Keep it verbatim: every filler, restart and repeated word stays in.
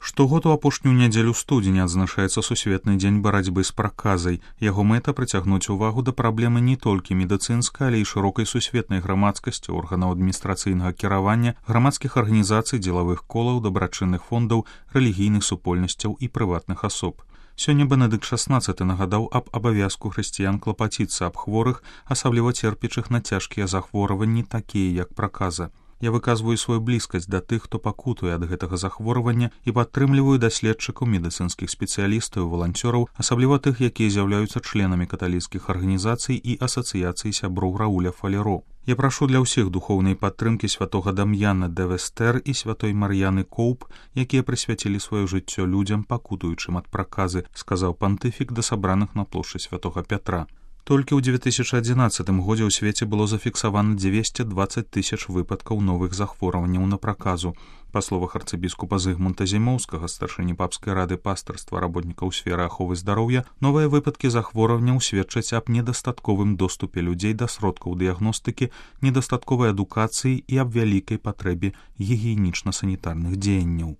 Штогод у апошнюю нядзелю студзеня адзначаецца сусветны дзень барацьбы з праказай. Яго мэта прыцягнуць увагу да праблемы не толькі медыцынскай, але і шырокай сусветнай грамадскасці, органаў адміністрацыйнага кіравання, грамадскіх арганізацый, дзелавых колаў, дабрачынных фондаў, рэлігійных супольнасцяў і прыватных асоб. Сёння Бенедыкт шаснаццаты нагадаў аб абавязку хрысціян клапаціцца аб хворых, асабліва церпячых на цяжкія захворванні, такія як праказа. Я выказваю сваю блізкасць да тых, хто пакутуе ад гэтага захворвання і падтрымліваю даследчыкаў, медыцынскіх спецыялістаў, валанцёраў, асабліва тых, якія з'яўляюцца членамі каталіцкіх арганізацый і асацыяцый сяброў Рауля Фалеро. Я прашу для ўсіх духоўнай падтрымкі святога Дам'яна де Вестер і святой Мар'яны Коўп, якія прысвяцілі сваё жыццё людзям, пакутуючым ад праказы, сказаў пантыфік да сабраных на плошчы святога Пятра. Толькі ў дзве тысячы адзінаццатым годзе ў свеце было зафіксавана дзвесце дваццаць тысяч выпадкаў новых захворванняў на праказу. Па словах арцыбіскупа Зыгмунта Зімоўскага, старшыні папскай рады пастырства работнікаў сферы аховы здароўя, новыя выпадкі захворванняў сведчаць аб недастатковым доступе людзей да сродкаў дыягностыкі, недастатковай адукацыі і аб вялікай патрэбе гігіенічна-санітарных дзеянняў.